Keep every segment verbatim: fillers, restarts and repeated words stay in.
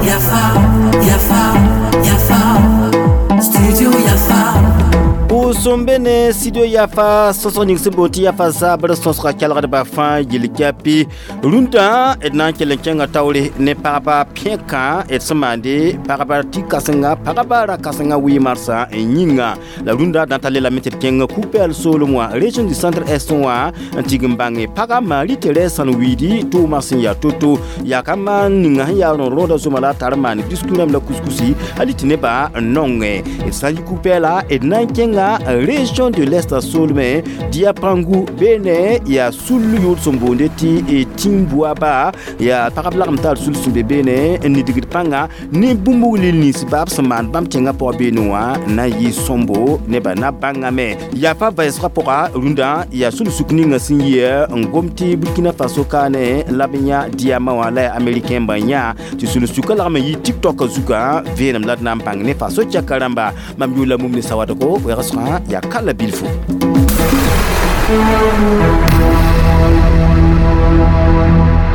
Yafa, Yafa, Yafa, Studio Yafa. Pʋʋsem ne studio Yafa sõsg ning sẽn boond tɩ Yafa zabr sõsga kelgdbã fãa yel-kapi rũndã d na n kell n kẽnga taoore ne pagba pẽkã d sẽn maande pagba tɩ-kãsenga pagba ra-kãsengã wɩ marsã yĩnga la rũndã d na n ta le lame tɩ d kẽng Kug-pɛɛl soolem wã, région du Centre Est wã, n tig n bãnge paga Marie Thérèse Sãn-wiidi tʋʋmã sẽn yaa to-to yaa ka maan ninga sẽn yaa rõd-rõoda zoma la a tar n maan biskuit rãmb la kuskusi hali tɩ nebã n nongẽ. D sã n yi Kug-pɛɛla, d na n kẽnga région de l'Est soolmẽ Diapangu beene yaa sul yʋʋd sẽn boonde tɩ Timboaba yaa pagb lagem tar sul sẽn be beene n nidgd pãnga ne bũmb lil nins baab sẽn maan bãmb tẽngã pʋgã beene wã na n yɩ sõmbo nebã na bãngame. Yaa pa vɛɛsgã pʋga rũndã yaa sul-suk ninga sẽn yɩ n gom tɩ Burkina Faso kaane la b yã diamant wã la yaa américain bã yã tɩ sul-sukã lagm n yɩ TikTok zugã vẽenem la d na n bãng ne Faso tɛka rãmba. Mam yʋʋla mum ne sawadgo wɛgsgã yaa kala bilfo.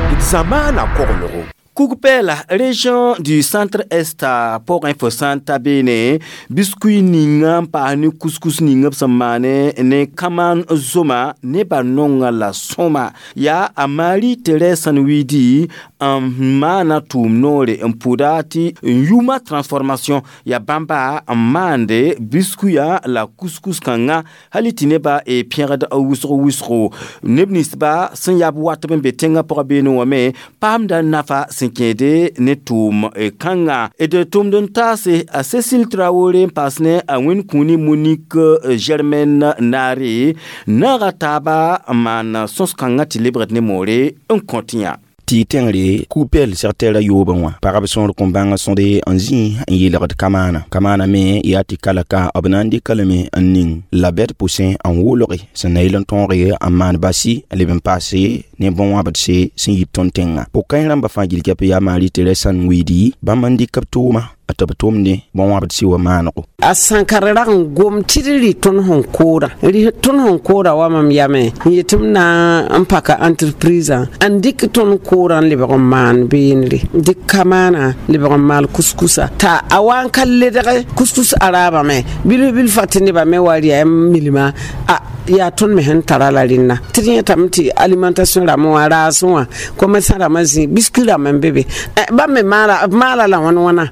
D zamaana koglgo. Kug-pɛɛla région du Centre Est pʋgẽ fo sã n ta beene biskuit ninga n paas ne couscous ninga b sẽn maane ne kamaan zoma nebã nonga la sõma yaa a Marie Thérèse Sãn-wiidi n maana tʋʋm noore n pʋda tɩ n yʋʋma transformation yaa bãmba n maande biskuit la couscous kãngã hali tɩ nebã e pẽgd wʋsg wʋsgo neb ninsba sẽn yaa b watb n be tẽngã pʋgã beene wã me paamda nafa sẽn kẽede ne tʋʋm kãngã. D tʋmd n taase a Cécile Traoré n paas ne a wẽn-kũuni Monique Germaine Naare naaga taaba n maan sõs-kãngã tɩ lebgd ne moore n kõt yã. Tɩ tẽngre kug-pɛɛl segtɛɛrã yoobẽ wã pagb sõor kõn bãng sõde n zĩ n yeelgd kamaana kamaana me yaa tɩ kalaka b na n dɩka lame n ning la bɛd pʋsẽ n wolge sẽn na yɩl n tõoge n maan basi n leb n paase ne bõn-wãbdse sẽn yit tõnd tẽngã. Pʋg-kãens rãmbã fãa gil-kɛp yaa Marie Thérèse Sãn-wiidi bãmb n dɩk b tʋʋma tɩ b tʋmde bõn-wãbdse wa maanego. A sãnkar rag n gom tɩ d rɩ tõnd sẽn koora rɩ tõnd sẽn koora wa mam yame n yet m na n paka entreprise n dɩk tõnd koorã n lebg n maan beenre dɩk kamaana lebg n maal kuskusa t'a a wa n ka ledg kuskus araabame bilf bilfa tɩ nebã me wa rɩa milma a yaa tõnd me sẽn tara la rẽnna tɩ d yẽtame tɩ alimentation rãmbã wã raasẽ wã commerçant rãmbã zĩ biscuit rãmb n be be bãmb me maala b maala la wãn wãna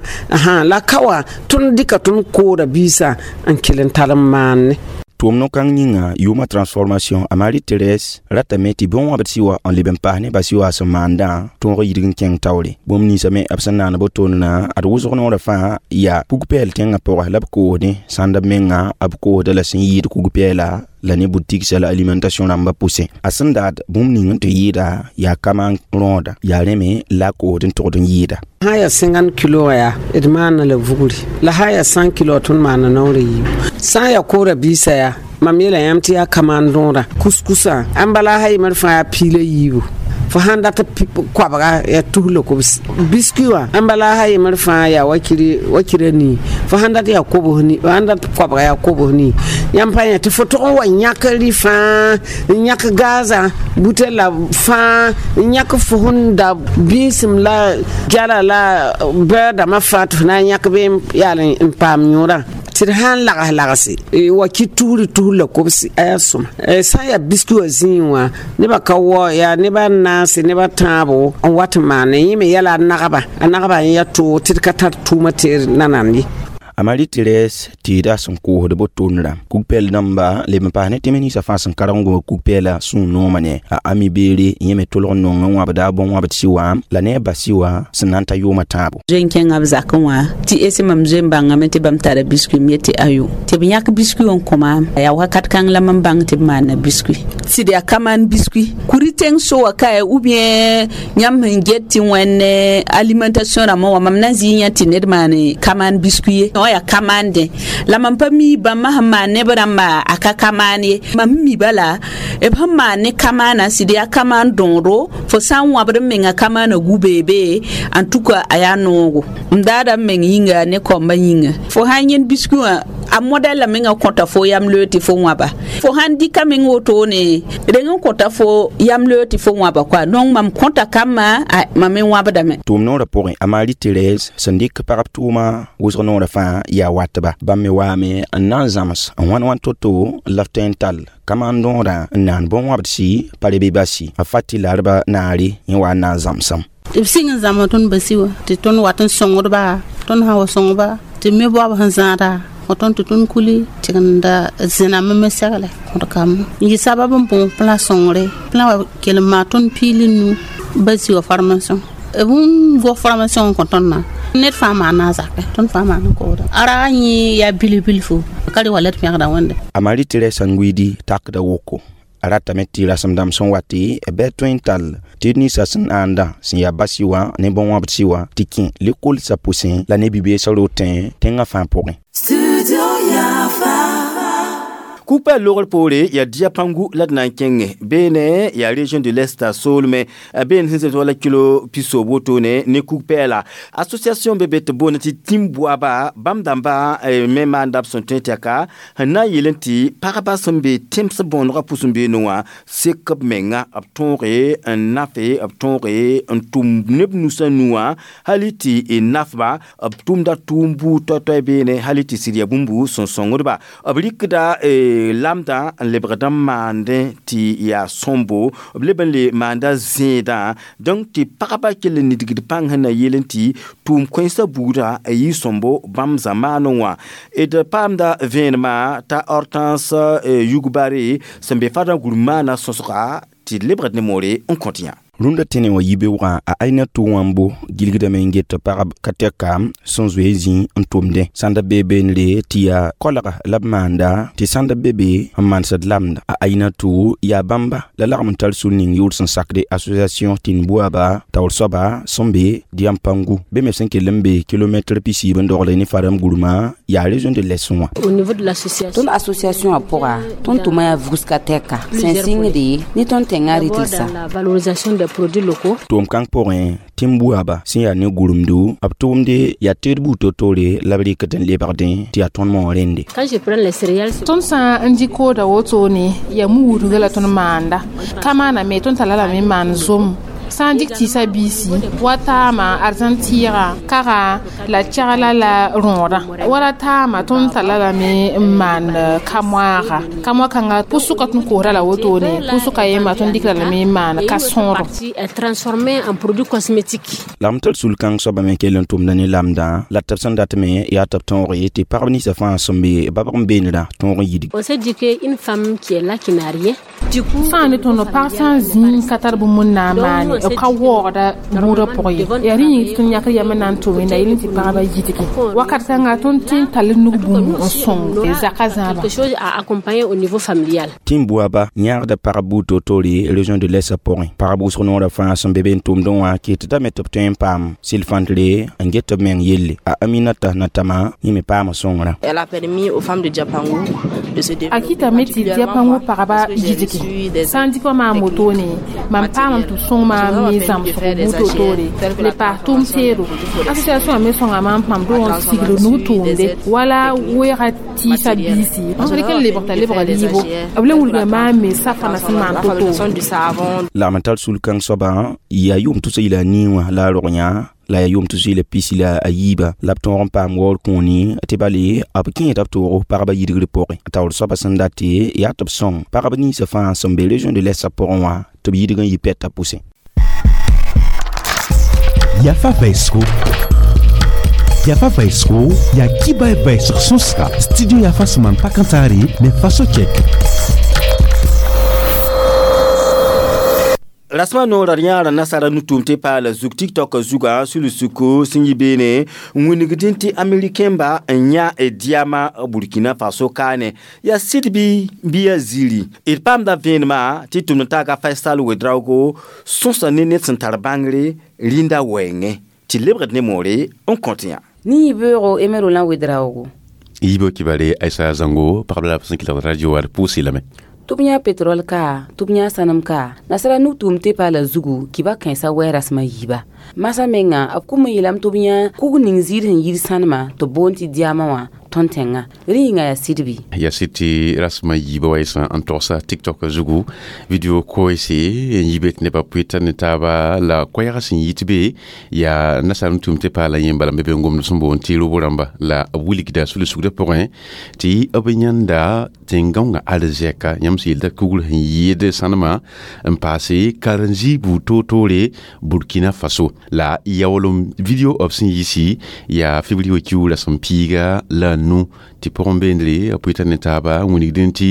la ka wã tõnd dɩka tõnd koora biisã n kell n tar n maanne. Tʋʋm no-kãng yĩnga yʋʋma transformation a Marie Thérèse ratame tɩ bõn-wãbd wa n leb n paas ne basi wa sẽn maandã tõog yidg n kẽng taoore bũmb ninsã me b sẽn naan botonnã ad wʋsg noorã fãa yaa kug-pɛɛl tẽngã pʋgã la b koosdẽ sãnd b menga b koosda la sẽn yɩɩd kug-pɛɛla la ne boutique la alimentation rãmbã pʋsẽ a sẽn daad bũmb ning n tɩ yɩɩda yaa kamaan rõoda yaa rẽ me la a koosd n togd n yɩɩda. Sã n yaa cinquante kilo yaa d maana la vugri la sã n yaa cent kilo tõnd maana naoor a yiibu sã n yaa koora biisã yaa mam yeela yãmb tɩ yaa kamaan rõoda kuskusã ãn bala sã yemr fãa yaa piig la yiibu fo sãn dat koabga yaa tus la kobs biskuit wã ãn bala sã yemr fãa yaa wakira nii fo sãn dat yaa kobs ni sãn dat koabga yaa kobs nii yãmb pa yẽ tɩ fo tʋg n wa yãk rɩ fãa n yãk gaazã butel la fãa n yãk fo sẽn da bĩisem la gɛla la bɛɛdãmã fãa tɩ fo na n yãk bee yaal n paam yõorã tɩ d sã n lags lagse wa kɩ tusri tus la kobsi a yaa sõma sã n yaa biskuit wã zĩig wã nebã ka wao yaa nebã naase nebã tãabo n wat n maane yẽ me yɛla a nagba a nagba n yaa toog tɩ d ka tar tʋʋma tɩ nanand ye. A Marie Thérèse tɩɩda sẽn koosd botonrã kug-pɛɛl dãmba leb n paas ne tẽms ninsã fãa sẽn karg n gom kug-pɛɛla sũur noomã ne a ami beere yẽ me tʋlg n nong n wãbda bõn-wãbd wã la ne a basi wã sẽn na n ta yʋʋmã tãabo. Zoe n kẽnga b zakẽ wã tɩ ese mam zoe n bãngame tɩ bãmb tara biskuit m yetɩ ayo tɩ b yãk biskuit n kõ maam yaa wakat kãng la mam bãng tɩ b maana biskuit tɩ d yaa kamaan biskuit kuri tẽng so wa kae ou bien yãmb sẽn get tɩ wẽnd alimentation rãmbã wã mam na n zɩ yã tɩ ned maan kamaan biskuit ye yaa kamande la mam pa mi bãmba sẽn maan neb rãmba a ka kamaan ye mam mi bala b sẽn maan ne kamaana sɩd yaa kamaan dõodo fo sã n wãbd n menga kamaana gu-beebe en tout cas a yaa noogo m daada m meng yĩnga ne kaombã yĩnga fo sã n yẽnd biskuit wã A modɛl la menga kõta fo yam loe tɩ fo wãba fo sãn dɩka meng wotone reng n kõta fo yam loe tɩ fo wãba koa donc mam kõta kambã mam me wãbdame. Tʋʋm noorã pʋgẽ a Marie Thérèse sẽn dɩk pagb tʋʋma wʋsg noorã fãa yaa watba bãmb me waame n na n zãms n wãn wãn to-to la b tõe n tall kamaan dõodã n naan bõn-wãbdsi pa rebe basi a fati larba naare yẽ wa n na n zãmsem. Tɩ b sɩng n zãmsa tõnd basi wã tɩ tõnd wat n sõngdba tõnd sã wa sõngba tɩ me baoab sẽn zãada tõnd tɩ tõnd kuli tɩgenda zẽname me segle kõd kambã n yɩ sabab n bõo plã sõngre plã wa kell n maa tõnd piili nu basi wã formation b n gos formation n kõ tõnd na ned fãa maana a zakɛ tõnd fãa maan n kooda a raga yẽ yaa bilf-bilfu ka rɩ wa la d pẽgda wẽnde. A Marie Thérèse sẽn wildi takda woko a ratame tɩ rasem dãmb sẽn wa tɩ bɩ tõe n tall tɩ d ninsã sẽn ãanda sẽn yaa basi wã ne bõn-wãbdsi wã tɩ kẽ lekolsã pʋsẽ la ne bi-beesã rotẽ tẽngã fãa pʋgẽ. Kugpɛl logr poore yaa Diapangu la d na n kẽnge beene yaa région de l'Est soolmẽ beene sẽn zems wala kilo pisob wotone ne kug-pɛɛla association be be tɩ boond tɩ tĩm-boaba bãmb dãmba me maanda b sẽn tõe tɩ yaka sẽn na n yeel tɩ pagba sẽn be tẽms bõonegã pʋs n beene wã sek b menga b tõoge n nafe b tõoge n tʋm neb nusã nu wã hali tɩ nafba b tʋmda tʋʋm buud toay-toay beene hali tɩ sɩd yaa bũmb sẽn sõngdba b rɩkda lamdã n lebgd n maandẽ tɩ yaa sõmbo b leb n le maanda zẽedã donc tɩ pagba kell n nidgd pãng sẽn na yeel tɩ tʋʋm kõensã buudã a yɩ sõmbo bãmb zamaanẽ wã d paamda vẽenemã t'a Hortense Yugbare sẽn be fadã gũrmaanã sõsga tɩ d lebgd ne moore n kõt yã. Rũndã tẽne wã yibeoogã a aina tʋ wãmbo gilgdame n get pagb ka tɛka sẽn zoe zĩ n tʋmdẽ sãnda bee beenre tɩ yaa koalga la b maanda tɩ sãnda be be n manesd lamda a aina tʋ yaa bãmba la lagm n tar sũur ning yʋʋr sẽn sakde association tĩn-buaba taoor soaba sẽn be Diampangu be me sẽn kell n be kilomɛtr pisiib n dogle ne fadam gurmã yaa région de l'Est wã. Au niveau de l'association, Tõnd association wã pʋga tõnd tʋma yaa vugs ka tɛka sẽn sɩngde ne tõnd tẽngã rɩtlsa. Dans la valorisation des produits locaux. Tʋʋm kãng pʋgẽ tĩm-buaba sẽn yaa ne gurumdu b tʋʋmde yaa teed buud to-tore la b rɩkd n lebgdẽ tɩ yaa tõnd moog rẽnde. Quand je prends les céréales, Tõnd sã n dɩ kooda wotone yaa mu-wudga la tõnd maanda ka maana me tõnd tara lame n maan zom sã n dɩk tɩɩsã biisi wa taama arzãn tɩɩga kaga la kɛgla la rõodã wala taama tõnd tara lame n maan ka-moaaga ka-moa-kãnga pʋsʋka tõnd koosda la wotone pʋsʋka yemba tõnd dɩkra lame n maan ka-sõodo. Est transformé en produit cosmétique. La m tar sul-kãng soaba me kell n tʋmda ne lamdã la tɩ b sẽn dat me yaa tɩ b tõog tɩ pagb ninsã fãa sẽn be babg n beenrã tõog n yidg. On s'est dit qu'une femme qui est là, qui n'a rien, du coup, Sã n ne tõnd pag sã n zĩig ka tar bũmb n na n maane b ka waoogda bũudã pʋgẽ ye yaa rẽ yĩng tɩ tõnd yãkr yam n na n tʋm la yel tɩ pagba yidge wakat kãnga tõnd tɩ n tall nug bũmb n sõng zakã zãaba. Quelque chose à accompagner au niveau familial. Tĩm-buaba yãagda pagb buud to-tore région de l'Est pʋgẽ pagb wʋsg noorã fãa sẽn be be n tʋmdẽ wã kɩtdame tɩ b tõe n paam sɩl-fãntre n get b meng yelle a Aminata Natama yẽ me paama sõngrã. Elle a permis aux femmes de Diapangu de se A kɩtame tɩ Diapangu pagba yidge sã n dɩk wã maam wotone mam paamame tɩ b sõng maam ne zãmsg buud to-tore le paas tʋʋm teedo association me sõnga maam mam dog n sigd nug tʋʋmde wala weega tɩɩsã biisi rɩk n lebg t'a lebga liibo b le wilga maam me safana sẽn maan to-to. Lagm n tar sul-kãng soabã yaa yʋʋm tʋsa yila nii wã la a rog yã la yaa yʋʋm tʋs yɩla pisi la a yiiba la b tõog n paam waoor kũuni tɩ bale b kẽeda b toogo pagba yidgr pʋgẽ taoor soabã sẽn dat tɩ yaa tɩ b sõng pagb ninsã fãa sẽn be région de l'Est pʋgẽ wã tɩ b yidg n yɩ pɛtã pʋsẽ. Yafa Vaisco. Yafa Vaisco, ya kiba vaisg sõsga studio Yafa sẽn maan pakãntaare ne faso kɛk. Rasmã noorã yãara nasara nu-tʋʋm tɩ paala zug TikTok zugã sulsuko sẽn yi beene n wilgdẽ tɩ américain-ba n yã diama Burkina Faso kaane yaa sɩd bɩ bɩ yaa ziiri d paamda vẽenemã tɩ tʋmd taaga Faisal Wedraogo sõsa ne ned sẽn tar bãngre rĩnda wɛɛngẽ tɩ lebgd ne moore n kõt yã. Ne yibeoogo Emerolã Wedraoogo. Yibo kibare Aïssa Zango pagb la b sẽn kelgd radio wã d pʋʋs lame. Tɩ b yã petrol ka tɩ b yã sãnem ka nasara nug-tʋʋm tɩ paala zugu kɩba kãensã wɛ rasmã yiiba masã menga b kum n yeelame tɩ b yã kug ning ziir sẽn yir sãnema tɩ b boond tɩ diamã wã. Tõnd tẽngã rẽ yĩnga yaa sɩd bɩ yaa sɩd tɩ rasmã yiibã wa sã n togsa TikTok zugu video koeese n yi be tɩ nebã pʋɩta ne taaba la koɛɛgã sẽn yit be yaa nasaar n tʋm tɩ paala yẽ bala n be be n gomd sẽn boond tɩ robo rãmba la b wilgda sul-sugdã pʋgẽ tɩ b yãnda tẽn-gãongã arzɛka yãmb sẽn yeelda kugr sẽn yɩɩd sãnemã n paase karen-zĩ buud toor-toore Burkina Faso la yaoolem video b sẽn yisi yaa février wa kiuug rasem piiga la a nu tɩ pʋgẽ beendre b pʋɩta ne taaba n wilgdẽ tɩ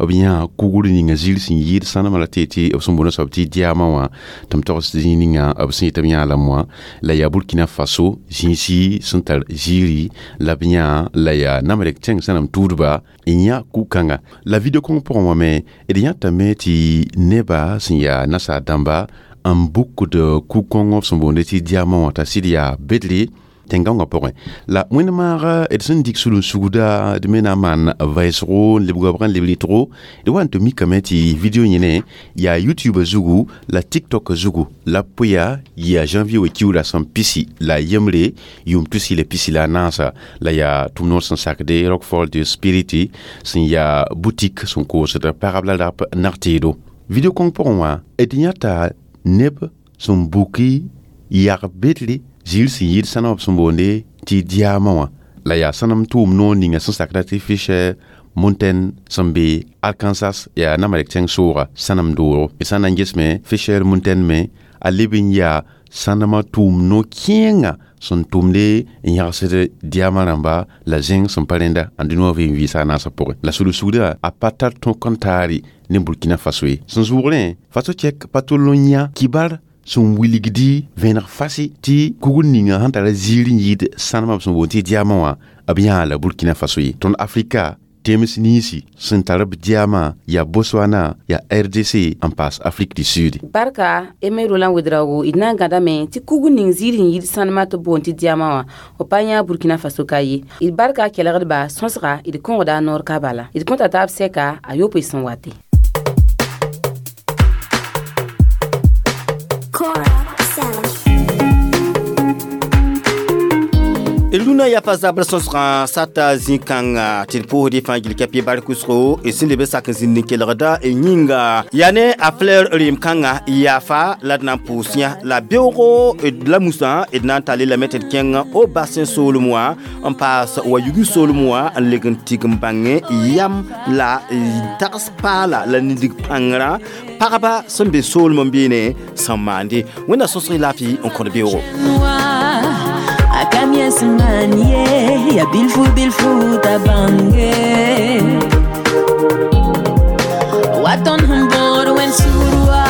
b yã kugr ninga zĩir sẽn yɩɩd sãnemã la tɩ tɩ b sẽn boond soab tɩ diamant wã tɩ m togs zĩig ninga b sẽn yetɩ b yã lame wã la yaa Burkina Faso zĩisi sẽn tar ziiri la b yã la yaa namrek tẽng sẽn tuudba n yã ku-kãnga la video kõng pʋgẽ wã me d yãtame tɩ neba sẽn yaa nasaar dãmba n bukd ku-kõng b sẽn boonde tɩ diamant wã t'a sɩd yaa bedre tẽn-gãongã pʋgẽ la wẽnd-maag d sẽn dɩk sul-n-sugda d me na n maan vɛɛsgo n lebg wabg n leb rɩtgo d wa n tɩ mikame tɩ video yẽne yaa YouTube zugu la TikTok zugu la pʋya yaa janvier wa kiuug rasem pisi la yembre yʋʋm tusi la pisi la a naasa la yaa tʋm-noor sẽn sakde Rockfall de Spirit sẽn yaa boutique sẽn koosd pagb la rap nag-teedo video kõng pʋgẽ wã d yãta neb sẽn buki yag bedre ziir sẽn yɩɩd sãnem b sẽn boonde tɩ diamant wã la yaa sãnem tʋʋm noor ninga sẽn sakda tɩ Fisher Mountain sẽn be Arkansas yaa namarek tẽng sooga sãnem doogo d sã n na n ges me Fisher Mountain me a leb n yaa sãnemã tʋʋm no-kẽenga sẽn tʋmde n yãgsd diamant rãmba la zẽng sẽn pa rẽnda n dũni wã vɩɩm vɩɩsa a naasã pʋgẽ la sul-sugdã a pa tar tõk n taare ne Burkina Faso ye sẽn zʋʋgrẽ Faso cɛk pa tʋl n yã kibar sẽn wilgdi vẽneg fasi tɩ kugr ninga sẽn tara ziir n yɩɩd sãnemã b sẽn boond tɩ diamant wã b yãa la Burkina Faso ye tõnd Afrika tems ninsi sẽn tar b diamant yaa Botswana yaa R D C n paas Afrique du Sud. Barka Eme Roland Ouedraogo d na n gãdame tɩ kugr ning ziir sẽn yɩɩd sãnemã tɩ b boond tɩ diamant wã b pa yã Burkina Faso ka ye d barka kelgdba sõsga d kõgda a noor ka bala d kõta taab sɛka a yopoe sẽn wate. Rũnã yafa zabr sõsgã sata zĩ-kãnga tɩ d pʋʋsd y fãa gil kɛpɩ bark wʋsgo y sẽn leb n sak n zĩnd n kelgda y yĩnga yaa ne a fleur reem kãnga yaafa la d na n pʋʋs yã la beoogo la musã d na n tall lame tɩ d kẽng o basẽ soolem wã n paas wa yugi soolem wã n leg n tig n bãngẽ yam la tags paala la nindig pãngrã pagba sẽn be soolem n beene sẽn maande wẽnna sõsg y laafɩ n kõd beoogo. Akamyesmanie ya bilfu bilfu tabange waton humbor wen surwa.